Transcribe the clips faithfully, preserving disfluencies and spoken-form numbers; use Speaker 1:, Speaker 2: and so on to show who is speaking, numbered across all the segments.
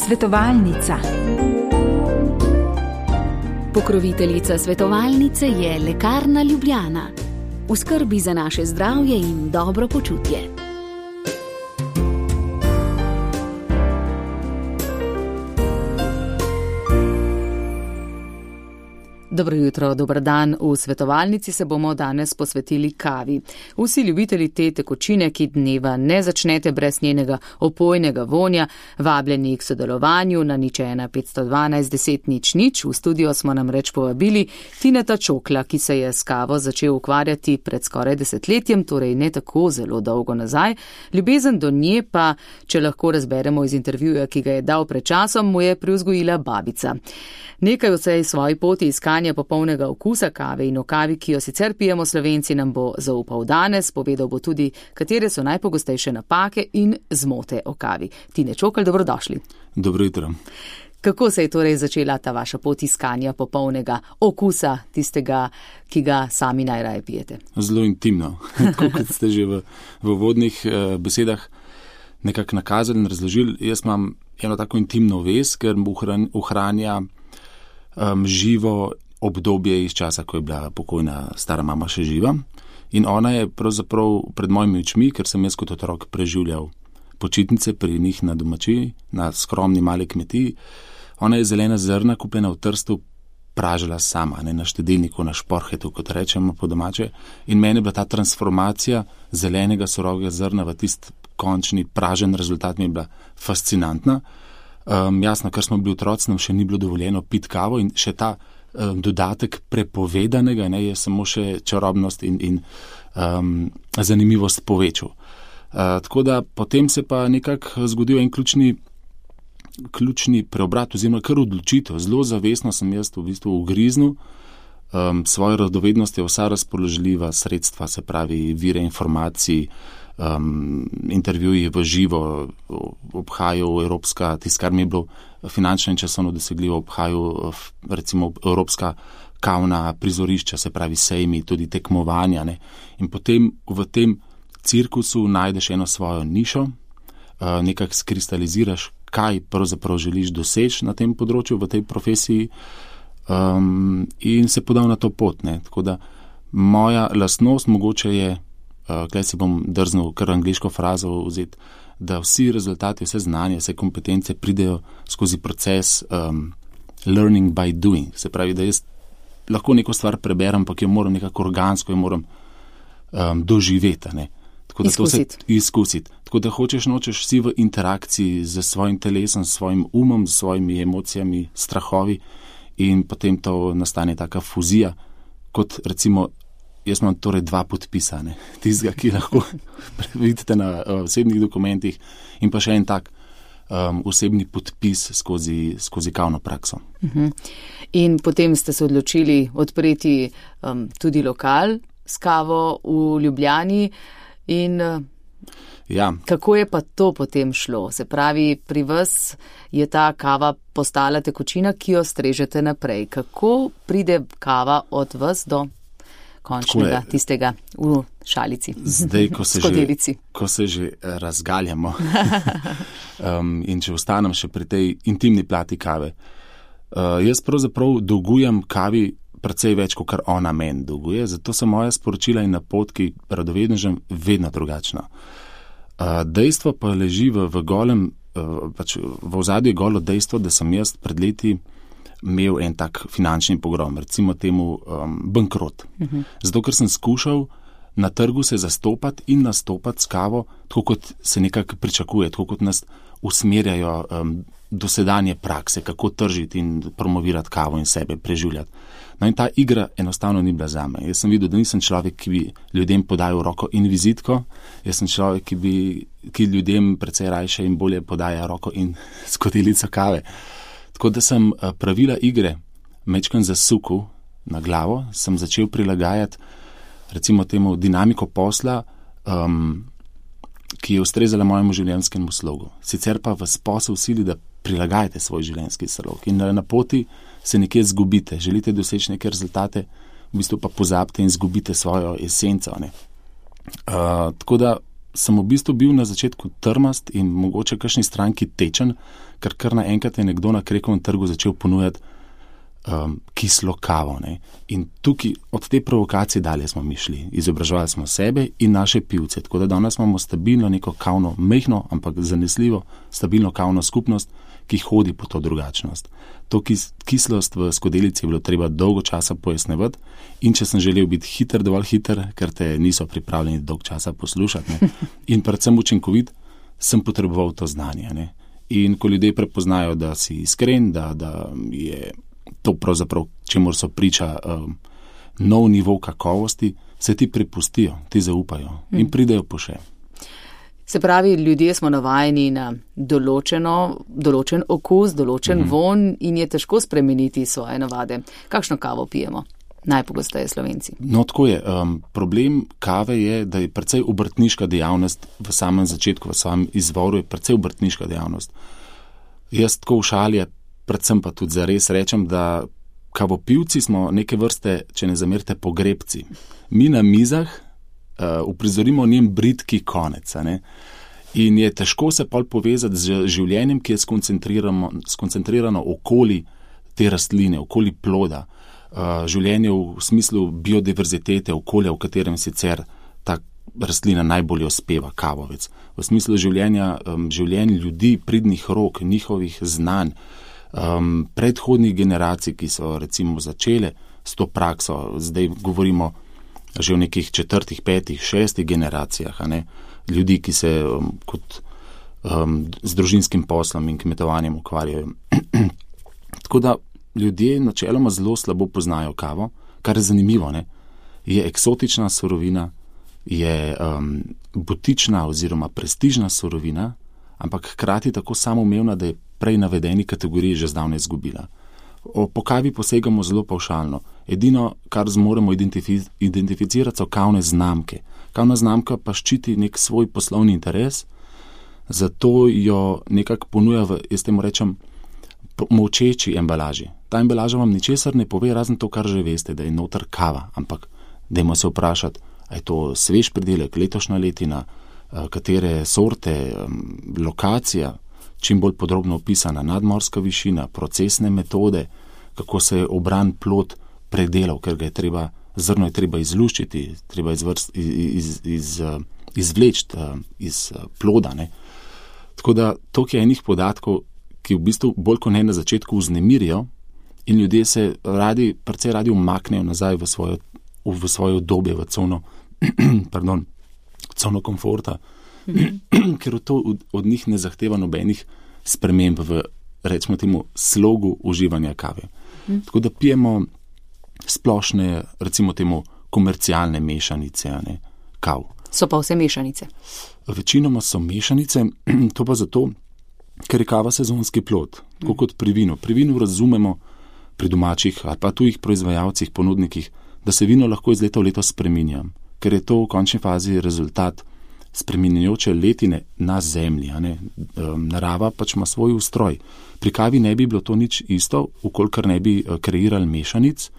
Speaker 1: Svetovalnica.
Speaker 2: Pokroviteljica svetovalnice je Lekarna Ljubljana. V skrbi za naše zdravje in dobro počutje. Dobro jutro, dober dan. V svetovalnici se bomo danes posvetili kavi. Vsi ljubitelji te tekočine, ki dneva ne začnete brez njenega opojnega vonja, vabljeni k sodelovanju na nič ena petsto dvanajst deset nič nič. V studio smo namreč povabili Tineta Čokla, ki se je s kavo začel ukvarjati pred skoraj desetletjem, torej ne tako zelo dolgo nazaj. Ljubezen do nje pa, če lahko razberemo iz intervjuja, ki ga je dal pred časom, mu je privzgojila babica. Nekaj o tej svoji poti iskanja popolnega okusa kave in o kavi, ki jo sicer pijemo Slovenci, nam bo zaupal danes. Povedal bo tudi, katere so najpogostejše napake in zmote o kavi. Tine Čokl, dobrodošli.
Speaker 3: Dobro jutro.
Speaker 2: Kako se je torej začela ta vaša pot iskanja popolnega okusa, tistega, ki ga sami najraje pijete?
Speaker 3: Zelo intimno. Tako kot ste že v, v vodnih eh, besedah nekako nakazali in razložili. Jaz imam eno tako intimno vez, ker ohranja um, živo obdobje iz časa, ko je bila pokojna stara mama še živa. In ona je pravzaprav pred mojimi očmi, ker sem jaz kot otrok preživljal počitnice pri njih na domačiji, na skromni mali kmetiji. Ona je zelena zrna, kupljena v Trstu, pražila sama, ne, na štedilniku, na šporhetu, kot rečemo po domače. In meni je bila ta transformacija zelenega surovega zrna v tist končni pražen rezultat, mi je bila fascinantna. Um, jasno, ker smo bili otroci, nam še ni bilo dovoljeno piti kavo in še ta um, dodatek prepovedanega, ne, je samo še čarobnost in, in um, zanimivost povečal. Uh, tako da potem se pa nekako zgodil en ključni, ključni preobrat, oziroma kar odločitev. Zelo zavestno sem jaz v bistvu ugriznil um, svojo radovednost, je vsa razpoložljiva sredstva, se pravi vire informacij, um, intervjuji v živo, obhajal Evropska, tisto, kar mi je bilo finančno in časovno dosegljivo, obhajal recimo Evropska kavna prizorišča, se pravi sejmi, tudi tekmovanja. Ne. In potem v tem cirkusu najdeš eno svojo nišo, uh, nekako skristaliziraš, kaj pravzaprav želiš doseči na tem področju, v tej profesiji, um, in se podal na to pot. Ne. Tako da moja lastnost mogoče je, uh, kaj si bom drznil kar angliško frazo vzeti, da vsi rezultati, vse znanje, vse kompetence pridejo skozi proces um, learning by doing. Se pravi, da jaz lahko neko stvar preberem, ampak jo moram nekako organsko, jo moram um, doživeti, ne.
Speaker 2: Izkusiti.
Speaker 3: Izkusiti. Tako da hočeš, nočeš si v interakciji z svojim telesom, s svojim umom, s svojimi emocijami, strahovi in potem to nastane taka fuzija, kot recimo, jaz imam torej dva podpisa, ne, tistega, ki lahko vidite na uh, osebnih dokumentih in pa še en tak um, osebni podpis skozi, skozi kavno prakso.
Speaker 2: Uh-huh. In potem ste se odločili odpreti um, tudi lokal s kavo v Ljubljani. In
Speaker 3: ja.
Speaker 2: Kako je pa to potem šlo? Se pravi, pri vas je ta kava postala tekočina, ki jo strežete naprej. Kako pride kava od vas do končnega, tistega v šalici?
Speaker 3: Zdaj, ko se, že, ko se že razgaljamo um, in če ostanem še pri tej intimni plati kave, uh, jaz pravzaprav dolgujem kavi precej več, kot kar ona meni dolguje, zato so moja sporočila in napotki radovednežem vedno drugačna. Uh, dejstvo pa leži v, v golem, uh, pač v ozadju je golo dejstvo, da sem jaz pred leti imel en tak finančni pogrom, recimo temu um, bankrot. Uh-huh. Zato, ker sem skušal na trgu se zastopati in nastopati s kavo, tako kot se nekako pričakuje, tako kot nas usmerjajo um, dosedanje prakse, kako tržiti in promovirati kavo in sebe preživljati. No in ta igra enostavno ni bila zame. Jaz sem videl, da nisem človek, ki bi ljudem podajal roko in vizitko, jaz sem človek, ki bi ki ljudem precej rajše in bolje podaja roko in skodelico kave. Tako da sem pravila igre mečkan zasukal na glavo, sem začel prilagajati recimo temu dinamiko posla, um, ki je ustrezala mojemu življenjskemu slogu. Sicer pa vas posel sili, da prilagajate svoj življenjski slog in na poti se nekje zgubite, želite doseči neke rezultate, v bistvu pa pozabite in zgubite svojo esenco. Ne. Uh, tako da sem v bistvu bil na začetku trmast in mogoče kakšni stranki tečen, ker kar naenkrat je nekdo na Krekovem trgu začel ponujati um, kislo kavo. Ne. In tukaj od te provokacije dalje smo mi šli. Izobraževali smo sebe in naše pivce. Tako da danes imamo stabilno neko kavno, mehno, ampak zanesljivo, stabilno kavno skupnost, ki hodi po to drugačnost. To kis, kislost v skodelici je bilo treba dolgo časa pojasnevati in če sem želel biti hiter, dovolj hiter, ker te niso pripravljeni dolgo časa poslušati, ne, in predvsem učinkovit, sem potreboval to znanje. Ne. In ko ljudje prepoznajo, da si iskren, da, da je to pravzaprav, čemur so priča um, nov nivo kakovosti, se ti prepustijo, ti zaupajo in pridejo po še.
Speaker 2: Se pravi, ljudje smo navajeni na določeno, določen okus, določen mm-hmm. von in je težko spremeniti svoje navade. Kakšno kavo pijemo? Najpogosteje Slovenci. No, tako je. Um, problem kave je, da je precej obrtniška dejavnost v samem začetku, v samem izvoru je precej obrtniška dejavnost. Jaz tako v šalje, predvsem pa tudi zares rečem, da kavopivci smo neke vrste, če ne zamerite, pogrebci. Mi na mizah Uh, uprizorimo njen bridki konec. Ne? In je težko se pol povezati z življenjem, ki je skoncentrirano, skoncentrirano okoli te rastline, okoli ploda. Uh, življenje v smislu biodiverzitete, okolja, v katerem sicer ta rastlina najbolje uspeva, kavovec. V smislu življenja, um, življenj ljudi, pridnih rok, njihovih znanj, um, predhodnih generacij, ki so recimo začele s to prakso, zdaj govorimo že v nekih četrtih, petih, šestih generacijah, a ne, ljudi, ki se um, kot um, z družinskim poslom in kmetovanjem ukvarjajo. Tako da ljudje načeloma zelo slabo poznajo kavo, kar je zanimivo, ne, je eksotična surovina, je um, butična oziroma prestižna surovina, ampak hkrati tako samoumevna, da je prej navedeni kategoriji že zdavnaj izgubila. O, po kavi posegamo zelo pavšalno. Edino, kar zmoremo identifi- identificirati, so kavne znamke. Kavna znamka pa ščiti nek svoj poslovni interes, zato jo nekako ponuja v, jaz temu rečem, molčeči embalaži. Ta embalaža vam ničesar ne pove, razen to, kar že veste, da je noter kava. Ampak dajmo se vprašati, a je to svež pridelek, letošnja letina, katere sorte, lokacija, čim bolj podrobno opisana nadmorska višina, procesne metode, kako se je obran plod predelal, ker ga je treba, zrno je treba izluščiti, treba izvrst, iz, iz, iz, izvleči iz ploda. Ne. Tako da toliko je enih podatkov, ki v bistvu bolj kot ne na začetku vznemirijo in ljudje se radi, precej radi umaknejo nazaj v svojo, v svojo obdobje, v cono, pardon, cono komforta, mm-hmm. ker to od, od njih ne zahteva nobenih sprememb v, recimo temu, slogu uživanja kave. Mm. Tako da pijemo splošne, recimo temu, komercialne mešanice, a ne, kav. So pa vse mešanice?
Speaker 3: Večinoma so mešanice, to pa zato, ker je kava sezonski plod, tako mm. kot pri vinu. Pri vinu razumemo, pri domačih ali pa tujih proizvajalcih, ponudnikih, da se vino lahko iz leta v leto spreminja, ker je to v končni fazi rezultat spreminjajoče letine na zemlji. A ne? Narava pač ima svoj ustroj. Pri kavi ne bi bilo to nič isto, ukolikor ne bi kreirali mešanic,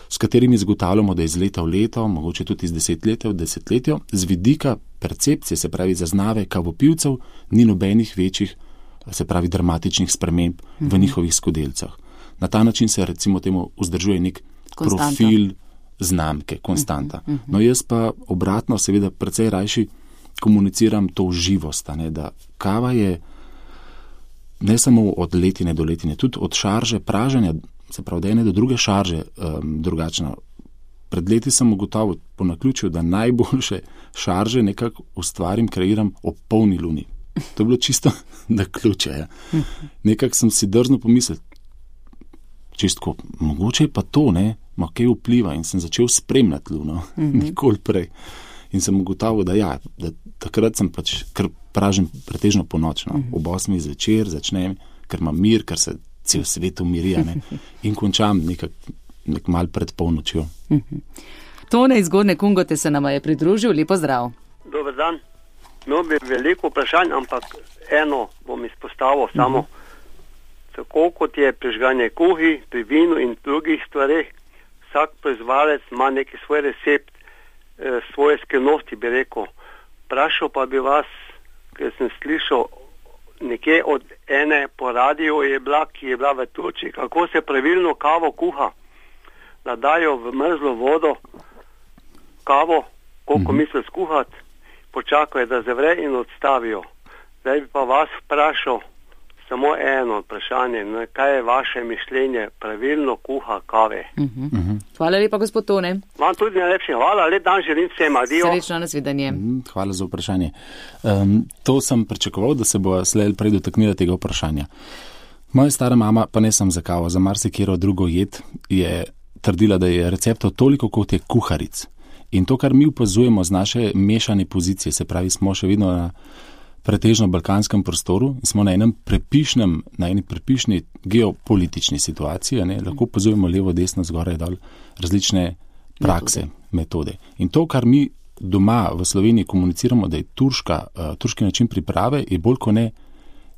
Speaker 3: s katerimi zagotavljamo, da iz leta v leto, mogoče tudi iz desetletja v desetletje, z vidika percepcije, se pravi zaznave kavopivcev, ni nobenih večjih, se pravi dramatičnih sprememb mm-hmm. v njihovih skodelsah. Na ta način se recimo temu vzdržuje nek konstanta. Profil znamke, konstanta. Mm-hmm. No jaz pa obratno seveda precej rajši komuniciram to živost, ne, da kava je ne samo od letine do letine, tudi od šarže praženja, se pravi, da ene do druge šarže um, drugačna. Pred leti sem ugotovil po naključju, da najboljše šarže nekako ustvarim, kreiram ob polni luni. To je bilo čisto na ključe. Ja. Nekako sem si drzno pomislil, čistko, mogoče pa to, ne, ma kaj vpliva in sem začel spremljati luno, mm-hmm. nikoli prej. In sem ugotovil, da ja, da takrat sem pač, ker pražim pretežno ponočno, mm-hmm. ob osmih zvečer začnem, ker imam mir, ker se cel svet umirja, ne, in končam nekak, nek mal pred polnočjo.
Speaker 2: Mm-hmm. Tone iz Gornje Kungote se nama je pridružil, lepo zdrav.
Speaker 1: Dober dan. No, bi veliko vprašanj, ampak eno bom izpostavil mm-hmm. samo. Tako kot je prižganje kuhi, pri vinu in drugih stvareh, vsak proizvajalec ima neki svoj recept, svoje skrivnosti, bi rekel. vprašal pa bi vas, ker sem slišal nekje od ene po radiju je bila, ki je bila v Turčiji, kako se pravilno kavo kuha, da dajo v mrzlo vodo kavo, koliko mm-hmm. mislijo skuhati, počakajo, da zavre in odstavijo. Zdaj bi pa vas vprašal samo eno vprašanje, ne, kaj je vaše mišljenje pravilno kuha kave.
Speaker 2: Mm-hmm. Mm-hmm. Hvala lepa, gospod Tone.
Speaker 1: Vam tudi najlepši hvala, lep dan želim vsem, adijo.
Speaker 2: Srečno, nasvidenje.
Speaker 3: Mm, hvala za vprašanje. Um, to sem pričakoval, da se bo slej prej dotaknila tega vprašanja. Moja stara mama, pa ne sem za kavo, za marsikero drugo jed, je trdila, da je receptov toliko, kot je kuharic. In to, kar mi opazujemo z naše mešane pozicije, se pravi, smo še vedno na pretežno balkanskem prostoru in smo na enem prepišnem, na eni prepišni geopolitični situaciji, ne, lahko opazujemo levo, desno, zgoraj, dol, različne prakse, metode. metode. In to, kar mi doma v Sloveniji komuniciramo, da je turška, uh, turški način priprave, je bolj kot ne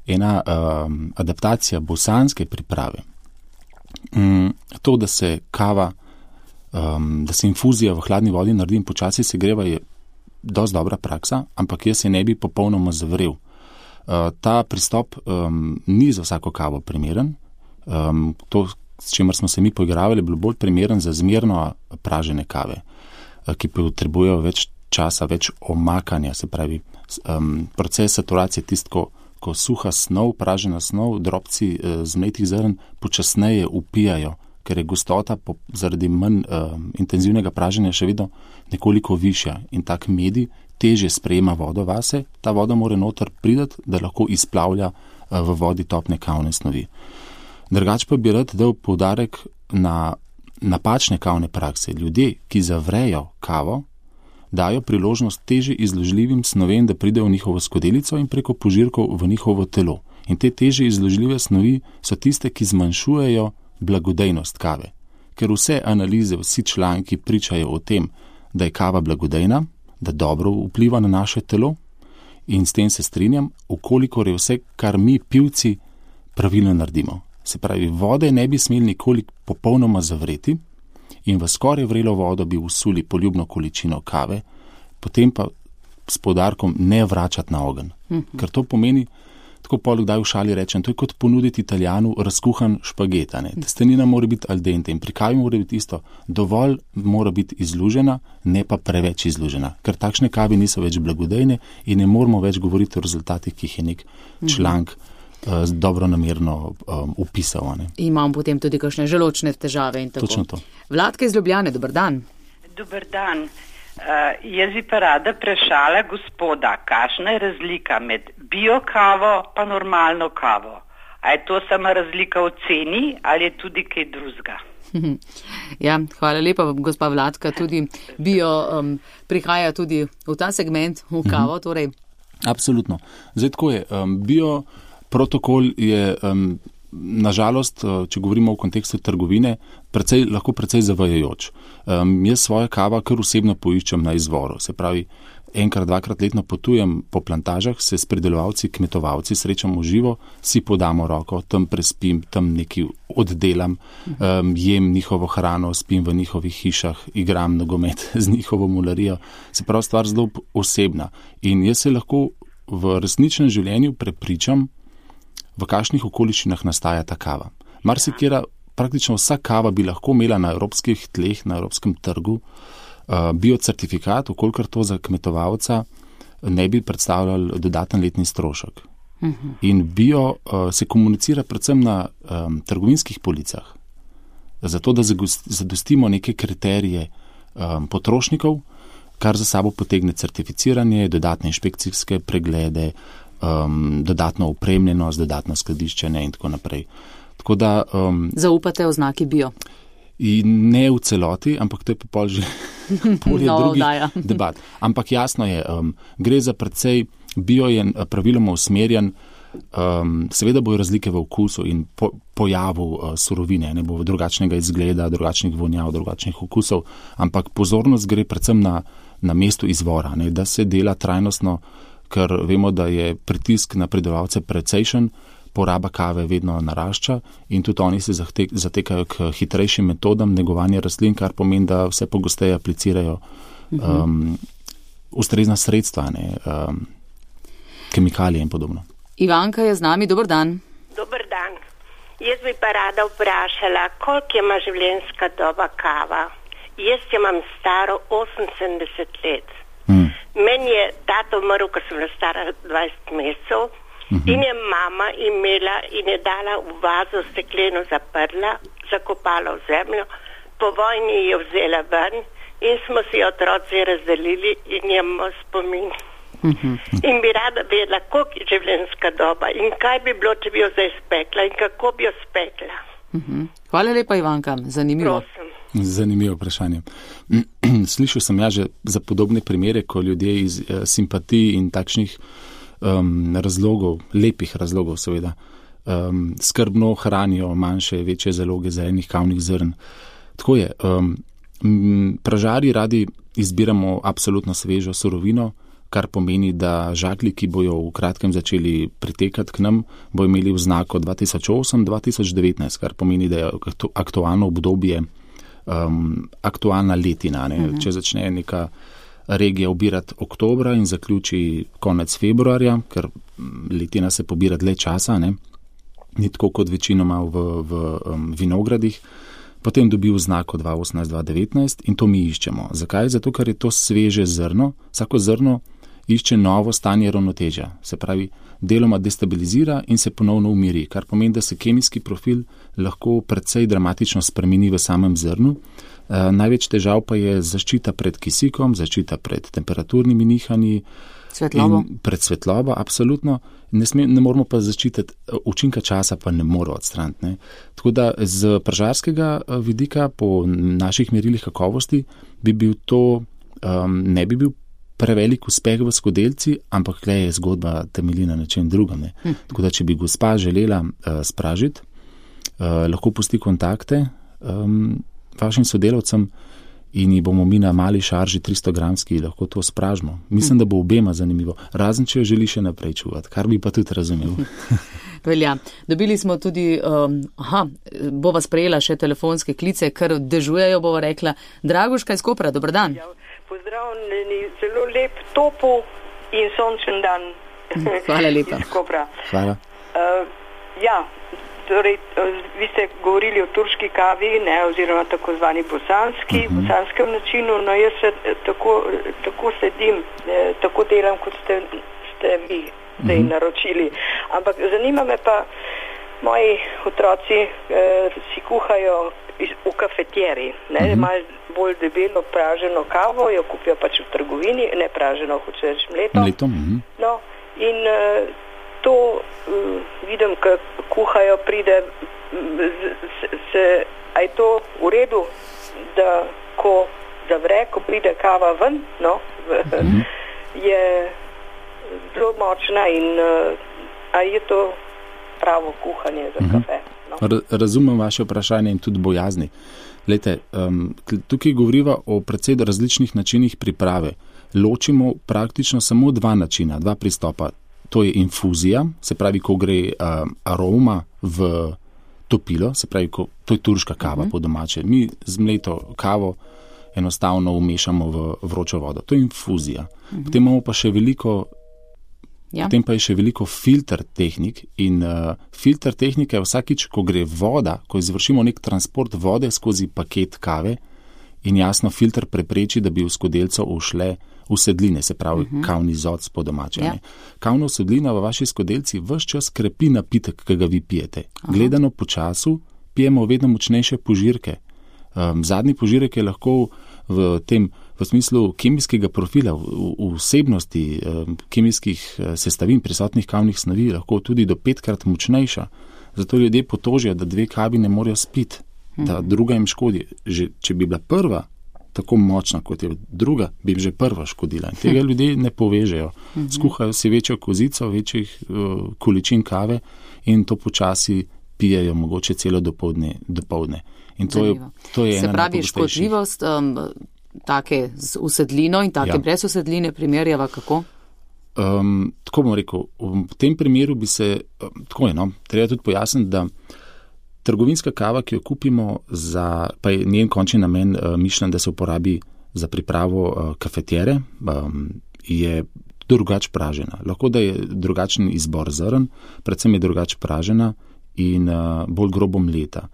Speaker 3: ena um, adaptacija bosanske priprave. Um, to, da se kava, um, da se infuzija v hladni vodi naredi in počasi se greva, je dosti dobra praksa, ampak jaz se ne bi popolnoma zavrel. Uh, ta pristop um, ni za vsako kavo primeren. Um, to, s čimer smo se mi poigravali, je bilo bolj primeren za zmerno pražene kave, uh, ki potrebujejo več časa, več omakanja, se pravi, um, proces saturacije tistko, ko suha snov, pražena snov, drobci uh, zmletih zrn počasneje upijajo, ker je gostota po, zaradi manj uh, intenzivnega praženja še vedno nekoliko višja in tak medij teže sprejema vodo vase, ta voda mora noter pridati, da lahko izplavlja uh, v vodi topne kavne snovi. Drugač pa bi rad dal poudarek na napačne kavne prakse. Ljudje, ki zavrejo kavo, dajo priložnost teže izložljivim snovem, da pridejo v njihovo skodelico in preko požirkov v njihovo telo. In te teže izložljive snovi so tiste, ki zmanjšujejo blagodejnost kave. Ker vse analize, vsi članki pričajo o tem, da je kava blagodejna, da dobro vpliva na naše telo in s tem se strinjam, ukolikor je vse, kar mi pivci pravilno naredimo. Se pravi, vode ne bi smeli nikoli popolnoma zavreti in v skoraj vrelo vodo bi usuli poljubno količino kave, potem pa s poudarkom ne vračati na ogenj. Mm-hmm. Ker to pomeni, tako poleg daj v šali rečem, to je kot ponuditi Italijanu razkuhan špaget. Testenina mora biti al dente in pri kavi mora biti isto. Dovolj mora biti izlužena, ne pa preveč izlužena. Ker takšne kavi niso več blagodejne in ne moramo več govoriti o rezultatih, ki jih je nek članek uh, dobronamerno um, upisal. Ne.
Speaker 2: Imam potem tudi kakšne želočne težave in tako.
Speaker 3: Točno to.
Speaker 2: Vladka iz Ljubljane, dober dan.
Speaker 4: Dober dan. Uh, jaz bi pa rada vprašala gospoda, kakšna je razlika med bio kavo pa normalno kavo? A je to sama razlika v ceni ali je tudi kaj drugega?
Speaker 2: Ja, hvala lepa, gospa Vladka. Tudi bio um, prihaja tudi v ta segment, v kavo. Torej.
Speaker 3: Absolutno. Zdaj tako je. Um, bio protokol je um, nažalost, če govorimo v kontekstu trgovine, precej, lahko precej zavajajoč. Um, jaz svojo kavo kar osebno poiščem na izvoru. Se pravi, enkrat, dvakrat letno potujem po plantažah, se s pridelovalci, kmetovalci srečamo živo, si podamo roko, tam prespim, tam nekaj oddelam, um, jem njihovo hrano, spim v njihovih hišah, igram nogomet z njihovo mularijo. Se pravi, stvar zelo osebna. In jaz se lahko v resničnem življenju prepričam, v kakšnih okoliščinah nastaja ta kava. Marsikera, praktično vsa kava bi lahko imela na evropskih tleh, na evropskem trgu, uh, biocertifikat, okolikor to za kmetovalca ne bi predstavljal dodaten letni strošek. Uh-huh. In bio uh, se komunicira predvsem na um, trgovinskih policah, zato da zadostimo neke kriterije um, potrošnikov, kar za sabo potegne certificiranje, dodatne inšpekcijske preglede, Um, dodatno opremljenost, dodatno skladiščenje in tako naprej. Tako da, um,
Speaker 2: zaupate oznaki bio?
Speaker 3: Ne v celoti, ampak to je pa pol že polje
Speaker 2: no,
Speaker 3: drugih
Speaker 2: daja.
Speaker 3: debat. Ampak jasno je, um, gre za precej, bio je praviloma usmerjen, um, seveda bojo razlike v okusu in po, pojavu uh, surovine, ne bo drugačnega izgleda, drugačnih vonjav, drugačnih okusov, ampak pozornost gre predvsem na, na mestu izvora, ne, da se dela trajnostno, ker vemo, da je pritisk na pridelovalce precejšen, poraba kave vedno narašča in tudi oni se zatek, zatekajo k hitrejšim metodam negovanja rastlin, kar pomeni, da vse pogosteje aplicirajo um, ustrezna sredstva, ne, um, kemikalije in podobno.
Speaker 2: Ivanka je z nami, dober dan.
Speaker 5: Dober dan. Jaz bi pa rada vprašala, koliko ima življenjska doba kava? Jaz imam staro oseminsedemdeset let.
Speaker 3: Hmm.
Speaker 5: Meni je tato umrl, ko sem bila stara dvajset mesecev, uh-huh. in je mama imela in je dala v vazo stekleno zaprla, zakopala v zemljo, po vojni je vzela ven in smo si otroci razdelili in imamo spomin. Uh-huh. In bi rada vedela, koliko je življenjska doba in kaj bi bilo, če bi jo zdaj spekla in kako bi jo spekla.
Speaker 2: Uh-huh. Hvala lepa, Ivanka, zanimivo.
Speaker 5: Prosim.
Speaker 3: Zanimivo vprašanje. Slišal sem ja že za podobne primere, ko ljudje iz eh, simpatij in takšnih um, razlogov, lepih razlogov seveda, um, skrbno hranijo manjše, večje zaloge zelenih kavnih zrn. Tako je, um, pražari radi izbiramo absolutno svežo surovino, kar pomeni, da žaklji, ki bojo v kratkem začeli pritekati k nam, bo imeli oznako dva tisoč osem do dva tisoč devetnajst, kar pomeni, da je aktualno obdobje Um, aktualna letina. Ne? Uh-huh. Če začne neka regija obirati oktobra in zaključi konec februarja, ker letina se pobira dlje časa, ne? Ni tako kot večinoma v, v um, vinogradih, potem dobi oznako dva tisoč osemnajst do dva tisoč devetnajst in to mi iščemo. Zakaj? Zato, ker je to sveže zrno. Vsako zrno išče novo stanje ravnotežja. Se pravi, deloma destabilizira in se ponovno umiri, kar pomeni, da se kemijski profil lahko precej dramatično spremeni v samem zrnu. E, največ težav pa je zaščita pred kisikom, zaščita pred temperaturnimi nihanji,
Speaker 2: svetlobo.
Speaker 3: Pred svetlobo, absolutno. Ne, sme, ne moramo pa zaščititi, učinka časa pa ne moramo odstraniti. Ne. Tako da z pražarskega vidika po naših merilih kakovosti bi bil to, um, ne bi bil prevelik uspeh v skodelci, ampak le je zgodba temelji na nečem drugem. Ne. Hm. Tako da, če bi gospa želela uh, spražiti, uh, lahko pusti kontakte um, vašim sodelavcem in ji bomo mi na mali šarži tristo gramski lahko to spražimo. Mislim, hm. da bo obema zanimivo, razen če jo želi še naprej čuvati, kar bi pa tudi razumel.
Speaker 2: Velja. Dobili smo tudi, um, aha, bova sprejela še telefonske klice, ker dežujejo, bova rekla. Draguška iz Kopra, dober dan.
Speaker 6: Ja. Pozdravljeni, zelo lep, topel in sončen dan.
Speaker 2: Hvala lepa.
Speaker 6: Iz Kopra.
Speaker 3: Hvala.
Speaker 6: Uh, ja, torej, uh, vi ste govorili o turški kavi, ne, oziroma tako zvani bosanski, uh-huh. bosanskem načinu, no jaz se tako, tako sedim, eh, tako delam, kot ste, ste vi zdaj uh-huh. naročili. Ampak zanima me pa, moji otroci eh, si kuhajo iz, v kafetjeri, ne, uh-huh. malo bolj debelo praženo kavo, jo kupijo pač v trgovini, ne praženo, hoče reči mleto.
Speaker 3: Mleto, mhm.
Speaker 6: No, in uh, to uh, vidim, ko kuhajo, pride, se, se, a je to v redu, da ko zavre, ko pride kava ven, no, v, mhm. je zelo močna in uh, a je to pravo kuhanje za mhm. kafe. No.
Speaker 3: Razumem vaše vprašanje in tudi bojazni. Lejte, um, tukaj govoriva o precej različnih načinih priprave. Ločimo praktično samo dva načina, dva pristopa. To je infuzija, se pravi, ko gre um, aroma v topilo, se pravi, ko, to je turška kava uh-huh. po domače. Mi z mleto kavo enostavno umešamo v vročo vodo. To je infuzija. Uh-huh. Potem imamo pa še veliko Ja. Potem pa je še veliko filter tehnik in uh, filter tehnika je vsakič, ko gre voda, ko izvršimo nek transport vode skozi paket kave in jasno filter prepreči, da bi v skodelco ušle usedline, se pravi uh-huh. kavni zoc po domače. Ja. Kavna usedlina v vaši skodelci ves čas krepi napitek, ki ga vi pijete. Aha. Gledano po času pijemo vedno močnejše požirke. Um, zadnji požirek je lahko v tem v smislu kemijskega profila, v vsebnosti um, kemijskih sestavin prisotnih kavnih snovi lahko tudi do petkrat močnejša. Zato ljudje potožijo, da dve kavi ne morejo spiti, mm-hmm. da druga jim škodi. Že, če bi bila prva tako močna, kot je druga, bi jim že prva škodila. In tega ljudje ne povežejo. Mm-hmm. Skuhajo si večjo kozico, večjih uh, količin kave in to počasi pijejo mogoče celo dopoldne. dopoldne. In to je, to je
Speaker 2: Se pravi, škodljivost um, take z usedlino in take ja. brez usedline primerjava kako?
Speaker 3: Um, tako bom rekel, v tem primeru bi se, um, tako je, no, treba tudi pojasniti, da trgovinska kava, ki jo kupimo, za, pa je njen končni namen uh, mišljen, da se uporabi za pripravo uh, kafetere um, je drugač pražena. Lahko da je drugačen izbor zrn, predvsem je drugač pražena in uh, bolj grobo mleta.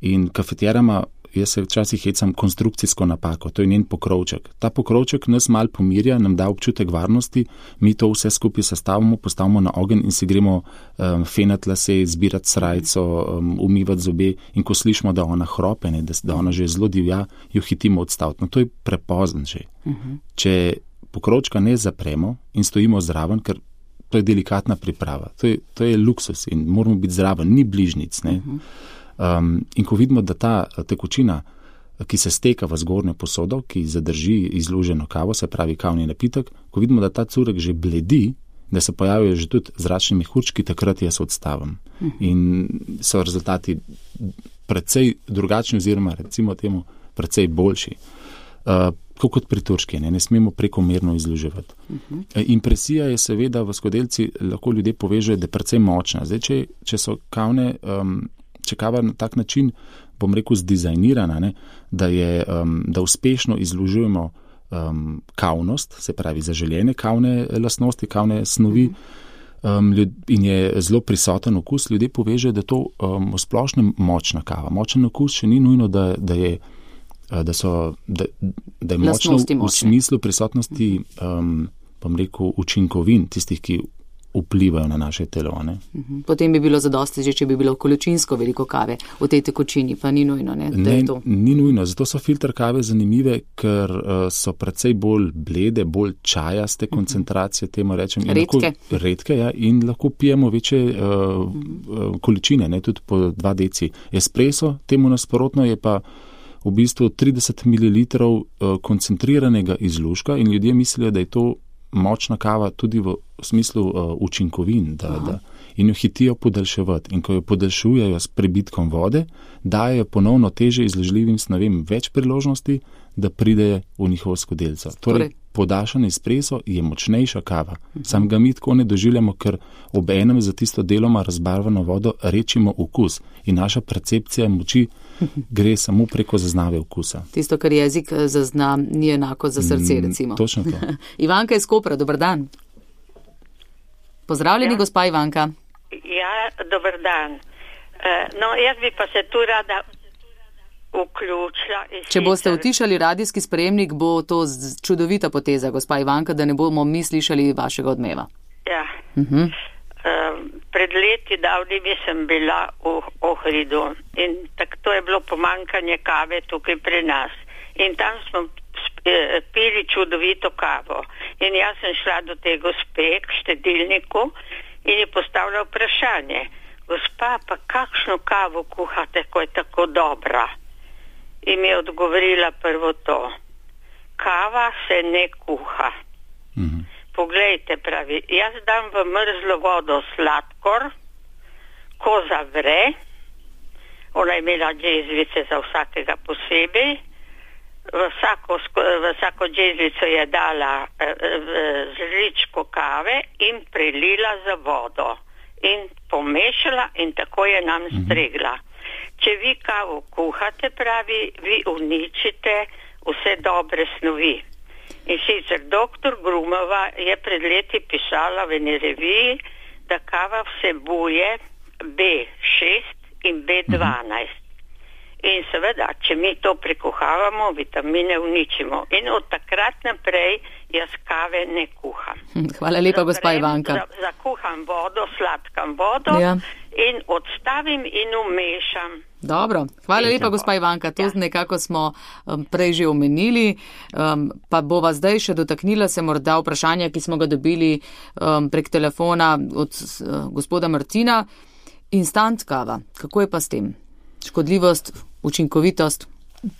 Speaker 3: In kafeterama, jaz se včasih hecam konstrukcijsko napako, to je njen pokrovček. Ta pokrovček nas mal pomirja, nam da občutek varnosti, mi to vse skupaj sestavimo, postavimo na ogenj in si gremo um, fenat lase, zbirati srajco, um, umivati zobe in ko slišimo, da ona hrope, ne, da, da ona že zelo divja, jo hitimo odstaviti. No, to je prepozno že. Uh-huh. Če pokrovčka ne zapremo in stojimo zraven, ker to je delikatna priprava, to je, to je luksus in moramo biti zraven, ni bližnic, ne. Uh-huh. Um, in ko vidimo, da ta tekočina, ki se steka v zgornjo posodo, ki zadrži izluženo kavo, se pravi kavni napitek, ko vidimo, da ta curek že bledi, da se pojavijo že tudi zračni mehurčki, takrat jaz odstavim. Uh-huh. In so rezultati precej drugačni oziroma recimo temu precej boljši. Uh, kot pri turški, ne, ne smemo prekomerno izluževati. Uh-huh. Impresija je seveda v skodelci, lahko ljudje povežejo, da je precej močna. Zdaj, če, če so kavne... Um, če kava na tak način, bom rekel, zdizajnirana, ne, da, je, um, da uspešno izlužujemo um, kavnost, se pravi zaželjene kavne lastnosti, kavne snovi um, ljud, in je zelo prisoten okus, ljudje povežejo, da je to um, v splošnem močna kava. Močen okus še ni nujno, da, da je, da so, da, da je močno v, v smislu prisotnosti, um, bom rekel, učinkovin, tistih, ki vplivajo na naše telo. Ne?
Speaker 2: Potem bi bilo zadosti, že če bi bilo količinsko veliko kave v tej tekočini, pa ni nujno, ne? Da
Speaker 3: ne,
Speaker 2: je to.
Speaker 3: Ni nujno, zato so filter kave zanimive, ker uh, so precej bolj blede, bolj čajaste koncentracije, temu rečem.
Speaker 2: Redke.
Speaker 3: Lahko, redke, ja, in lahko pijemo večje uh, uh, količine, ne, tudi po dva deci. Espresso, temu nasprotno, je pa v bistvu trideset mililitrov uh, koncentriranega izluška in ljudje mislijo, da je to močna kava tudi v smislu uh, učinkovin, da, da, in jo hitijo podaljševati. In ko jo podaljšujejo s prebitkom vode, dajo ponovno teže izložljivim snovem več priložnosti, da pridejo v njihovo skodelco. Torej, podaljšan espresso je močnejša kava. Uh-huh. Sam ga mi tako ne doživljamo, ker ob enem za tisto deloma razbarvano vodo rečimo okus in naša percepcija moči gre samo preko zaznave okusa.
Speaker 2: Tisto, kar jezik zazna, ni enako za srce, recimo.
Speaker 3: Mm, točno to.
Speaker 2: Ivanka iz Kopra, dober dan. Pozdravljeni, ja. Gospa Ivanka.
Speaker 5: Ja, dober dan. Uh, no, jaz bi pa se tu rada vključila.
Speaker 2: Če boste utišali radijski sprejemnik, bo to čudovita poteza, gospa Ivanka, da ne bomo mi slišali vašega odmeva.
Speaker 5: Ja.
Speaker 2: Uh-huh.
Speaker 5: Uh, pred leti davnimi sem bila v Ohridu in tako to je bilo pomankanje kave tukaj pri nas. In tam smo pili čudovito kavo. In jaz sem šla do te gospe k štedilniku in je postavila vprašanje. Gospa, pa kakšno kavo kuhate, ko je tako dobra? In mi je odgovorila prvo to. Kava se ne kuha. Mhm. Poglejte, pravi, jaz dam v mrzlo vodo sladkor, ko zavre, ona je imela džezvice za vsakega posebej, v vsako, v vsako džezvico je dala eh, žličko kave in prelila za vodo in pomešala in tako je nam stregla. Če vi kavo kuhate, pravi, vi uničite vse dobre snovi. In sicer doktor Grumova je pred leti pisala v eni reviji, da kava vsebuje B šest in B dvanajst. In seveda, če mi to prekuhavamo, vitamine uničimo. In od takrat naprej jaz kave ne kuham.
Speaker 2: Hvala lepa, gospa Ivanka.
Speaker 5: Zakuham vodo, sladkam vodo ja. In odstavim in umešam.
Speaker 2: Dobro, hvala lepa, gospa Ivanka. To ja. Nekako smo um, prej že omenili, um, pa bova zdaj še dotaknila se morda vprašanja, ki smo ga dobili um, prek telefona od uh, gospoda Martina. Instant kava, kako je pa s tem? Škodljivost, učinkovitost?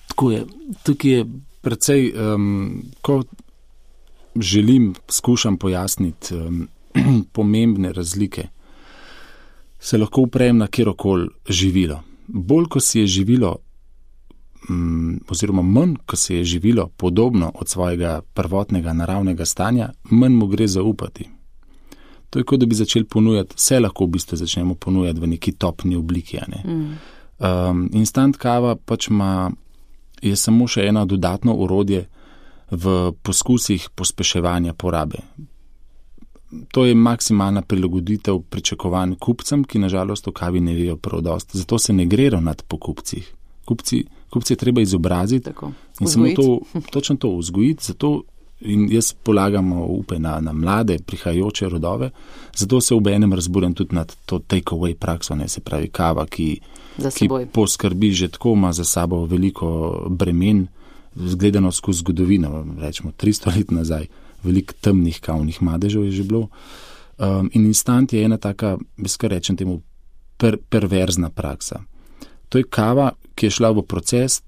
Speaker 3: Tako je. Tukaj je precej, um, ko želim, skušam pojasniti um, pomembne razlike, se lahko uprejem na kjerokoli živilo. Bolj, ko si je živilo, um, oziroma manj, ko se je živilo podobno od svojega prvotnega naravnega stanja, manj mu gre zaupati. To je kot da bi začeli ponujati, vse lahko v bistvu začnemo ponujati v neki topni obliki. Ne? Mm. Um, instant kava pač ima, je samo še eno dodatno orodje v poskusih pospeševanja porabe. To je maksimalna prilagoditev pričakovanj kupcem, ki nažalost o kavi ne vejo prav dosti. Zato se ne gre ravnati po kupcih. Kupci, kupci je treba izobraziti in samo to, točno to vzgojiti. Zato in jaz polagam upe na, na mlade, prihajajoče rodove, zato se obenem razburjam tudi nad to take-away prakso, ne, se pravi kava, ki, ki poskrbi že tako, ima za sabo veliko bremen, zgledano skozi zgodovino, rečemo tristo let nazaj, veliko temnih kavnih madežev je že bilo. Um, in instant je ena taka, bez kar rečem temu, per, perverzna praksa. To je kava, ki je šla v proces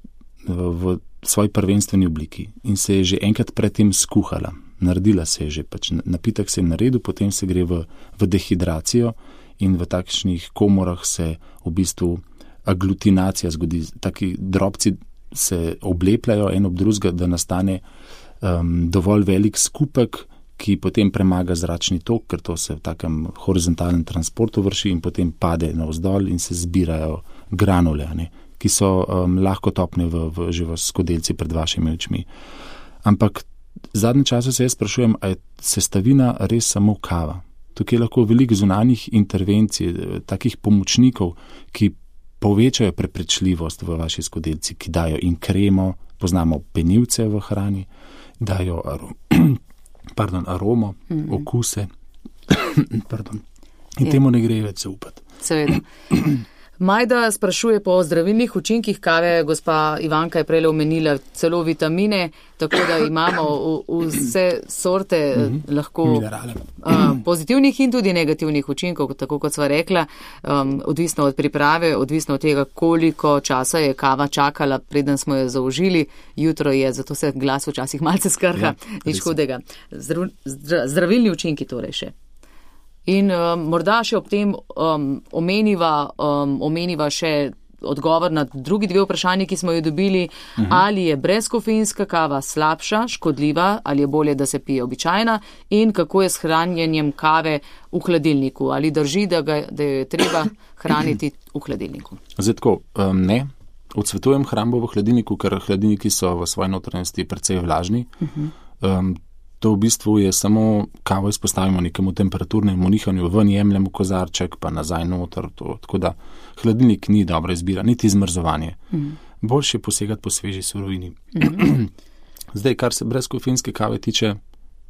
Speaker 3: v, v svoji prvenstveni obliki in se je že enkrat predtem skuhala. Naredila se je že, pač napitek se je naredil, potem se gre v, v dehidracijo in v takšnih komorah se v bistvu aglutinacija zgodi. Taki drobci se oblepljajo en ob drugega, da nastane um, dovolj velik skupek, ki potem premaga zračni tok, ker to se v takem horizontalnem transportu vrši in potem pade navzdol in se zbirajo granule, ne, ki so um, lahko topne v, v, že v skodelci pred vašimi očmi. Ampak v zadnjem času se jaz sprašujem, a je sestavina res samo kava? Tukaj je lahko veliko zunanjih intervencij, takih pomočnikov, ki povečajo preprečljivost v vaši skodelci, ki dajo in kremo, poznamo penivce v hrani, dajo arom, pardon, aromo, mm-hmm. okuse. Pardon. In je. Temu ne gre več zaupati.
Speaker 2: Seveda. Majda sprašuje po zdravilnih učinkih kave, gospa Ivanka je prej omenila celo vitamine, tako da imamo v, vse sorte mm-hmm. lahko uh, pozitivnih in tudi negativnih učinkov, tako kot sva rekla, um, odvisno od priprave, odvisno od tega, koliko časa je kava čakala, preden smo jo zaužili. Jutro je, zato se glas včasih malce skrha, ja, nič hudega. Zdru, zdra, zdravilni učinki torej še. In um, morda še ob tem um, omeniva, um, omeniva še odgovor na drugi dve vprašanji, ki smo jo dobili, uh-huh. ali je brezkofeinska kava slabša, škodljiva, ali je bolje, da se pije običajna in kako je s hranjenjem kave v hladilniku. Ali drži, da, ga, da jo je treba hraniti v hladilniku?
Speaker 3: Zdaj tako, um, ne. Odsvetujem hrambo v hladilniku, ker hladilniki so v svoji notranjosti precej vlažni. Uh-huh. Um, To v bistvu je samo kavo izpostavimo nekemu temperaturnemu nihanju, ven jemljemo kozarček, pa nazaj noter. To, tako da hladilnik ni dobra izbira, niti zmrzovanje. Mm. Boljše je posegati po sveži surovini. Mm. Zdaj, kar se brezkofeinske kave tiče,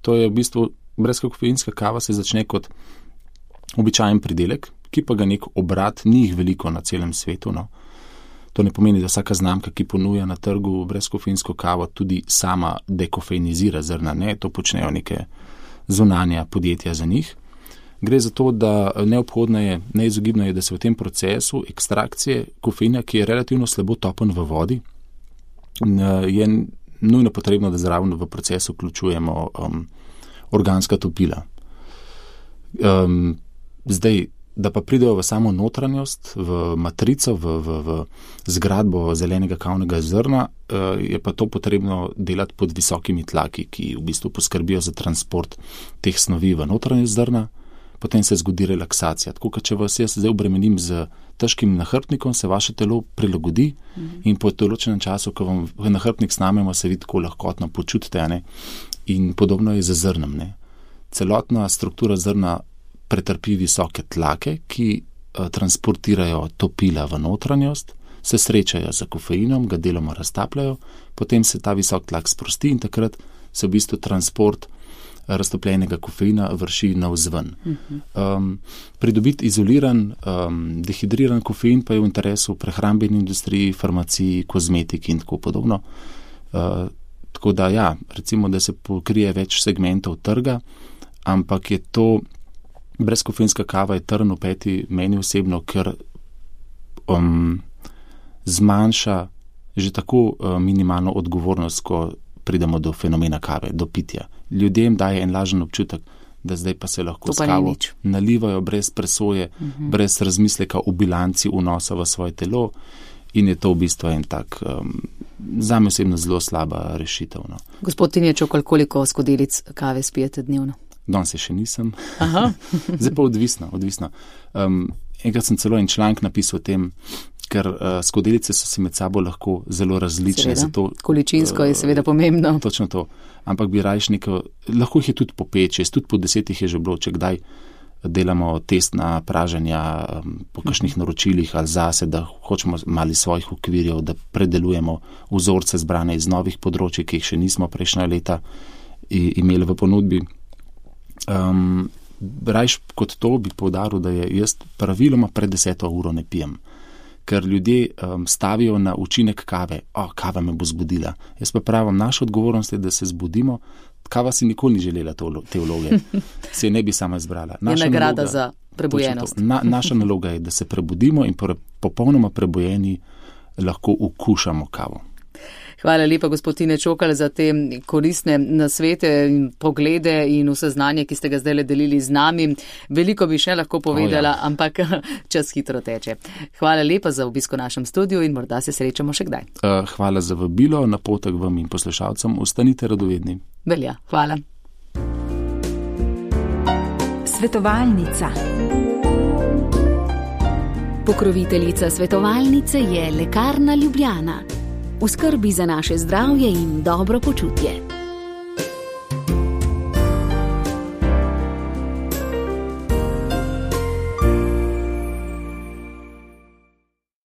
Speaker 3: to je v bistvu brezkofeinska kava se začne kot običajen pridelek, ki pa ga nek obrat, ni jih veliko na celem svetu, no. To ne pomeni, da vsaka znamka, ki ponuja na trgu brezkofeinsko kavo, tudi sama dekofeinizira zrna. Ne, to počnejo neke zunanja podjetja za njih. Gre za to, da neobhodno je, neizogibno je, da se v tem procesu ekstrakcije kofeina, ki je relativno slabo topen v vodi, je nujno potrebno, da zraven v procesu vključujemo um, organska topila. Um, zdaj, da pa pridejo v samo notranjost, v matrico, v, v, v zgradbo zelenega kavnega zrna, je pa to potrebno delati pod visokimi tlaki, ki v bistvu poskrbijo za transport teh snovi v notranjost zrna, potem se zgodi relaksacija. Tako, če vas jaz zdaj obremenim z težkim nahrbtnikom, se vaše telo prilagodi mm-hmm. in po določenem času, ko vam nahrbtnik snamemo, se vidi, kako lahkotno počutite, ne? In podobno je z zrnom. Ne? Celotna struktura zrna pretrpi visoke tlake, ki uh, transportirajo topila v notranjost, se srečajo z kofeinom, ga deloma raztapljajo, potem se ta visok tlak sprosti in takrat se v bistvu transport raztopljenega kofeina vrši navzven. Uh-huh. Um, pridobiti izoliran, um, dehidriran kofein pa je v interesu prehrambeni industriji, farmaciji, kozmetiki in tako podobno. Uh, tako da ja, recimo, da se pokrije več segmentov trga, ampak je to brezkofeinska kava je trn v peti meni osebno, ker um, zmanjša že tako uh, minimalno odgovornost, ko pridemo do fenomena kave, do pitja. Ljudem daje en lažen občutek, da zdaj pa se lahko s kavo nalivajo brez presoje, uh-huh. brez razmisleka o bilanci vnosa v svoje telo in je to v bistvu en tak um, zame osebno zelo slaba rešitev. No.
Speaker 2: Gospod Tinječok, koliko skodelic kave spijete dnevno?
Speaker 3: Danes se še nisem. Zdaj pa odvisno. odvisno. Um, enkrat sem celo en članek napisal o tem, ker uh, skodelice so si med sabo lahko zelo različne. Zato,
Speaker 2: količinsko je seveda pomembno.
Speaker 3: Točno to. Ampak bi rajš neko, lahko jih je tudi po pet, šest, tudi po desetih je že bilo, če kdaj delamo testna praženja um, po kakšnih naročilih ali zase, da hočemo mali svojih okvirjev, da predelujemo vzorce zbrane iz novih področij, ki jih še nismo prejšnja leta imeli v ponudbi. Um, rajš kot to bi poudaril, da je jaz praviloma pred deseto uro ne pijem. Ker ljudje um, stavijo na učinek kave. O, kava me bo zbudila. Jaz pa pravim, naša odgovornost je, da se zbudimo. Kava si nikoli ni želela to, te vloge. Se ne bi sama izbrala.
Speaker 2: Naša je nagrada naloga, za prebujenost.
Speaker 3: Na, naša naloga je, da se prebudimo in popolnoma prebujeni lahko ukušamo kavo.
Speaker 2: Hvala lepa, gospod Tine Čokal, za te koristne nasvete in poglede in vse znanje, ki ste ga zdaj delili z nami. Veliko bi še lahko povedala, oh, ja. ampak čas hitro teče. Hvala lepa za obisko v našem studiu in morda se srečamo še kdaj.
Speaker 3: Uh, hvala za vabilo, napotek vam in poslušalcem. Ostanite radovedni.
Speaker 2: Velja, hvala.
Speaker 7: Svetovalnica. Pokroviteljica svetovalnice je Lekarna Ljubljana. V skrbi za naše zdravje in dobro počutje.